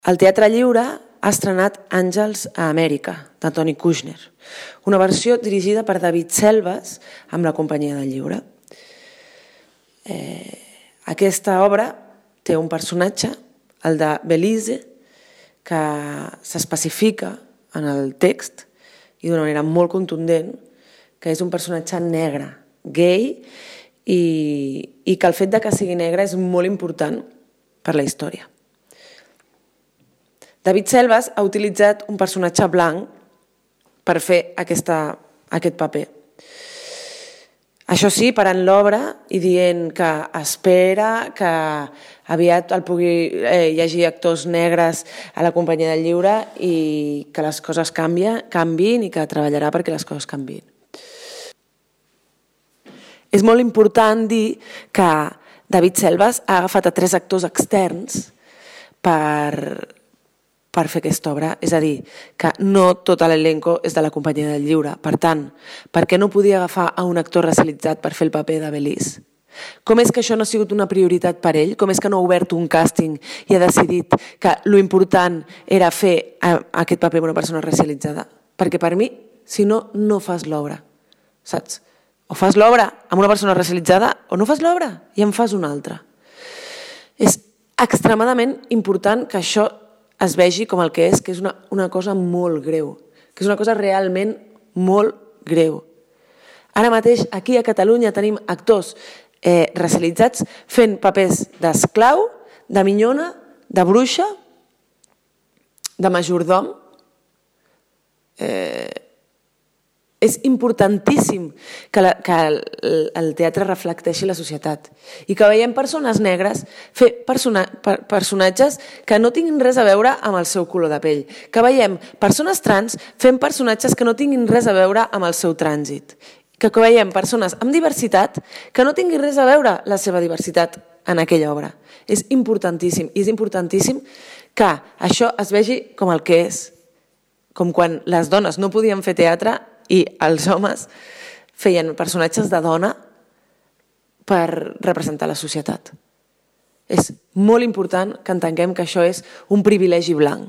El Teatre Lliure ha estrenat Àngels a Amèrica, de Tony Kushner, una versió dirigida per David Selves amb la Companyia del Lliure. Aquesta obra té un personatge, el de Belize, que s'especifica en el text i d'una manera molt contundent, que és un personatge negre, gay, i que el fet de que sigui negre és molt important per la història. David Selves ha utilitzat un personatge blanc per fer aquest paper. Això sí, parant l'obra i dient que espera que aviat el pugui llegir actors negres a la Companyia del Lliure i que les coses canviïn i que treballarà perquè les coses canviïn. És molt important dir que David Selves ha agafat a 3 actors externs per fer aquesta obra, és a dir, que no tot l'elenco és de la Companyia del Lliure. Per tant, per què no podia agafar a un actor racialitzat per fer el paper de Belize? Com és que això no ha sigut una prioritat per ell? Com és que no ha obert un càsting i ha decidit que l'important era fer aquest paper amb una persona racialitzada? Perquè per mi, si no, no fas l'obra, saps? O fas l'obra amb una persona racialitzada o no fas l'obra i en fas una altra. És extremadament important que això es vegi com el que és una cosa molt greu, que és una cosa realment molt greu. Ara mateix, aquí a Catalunya, tenim actors racialitzats fent papers d'esclau, de minyona, de bruixa, de majordom. És importantíssim que el teatre reflecteixi la societat i que veiem persones negres fer personatges que no tinguin res a veure amb el seu color de pell, que veiem persones trans fent personatges que no tinguin res a veure amb el seu trànsit, que veiem persones amb diversitat que no tinguin res a veure la seva diversitat en aquella obra. És importantíssim, i és importantíssim que això es vegi com el que és, com quan les dones no podien fer teatre i els homes feien personatges de dona per representar la societat. És molt important que entenguem que això és un privilegi blanc.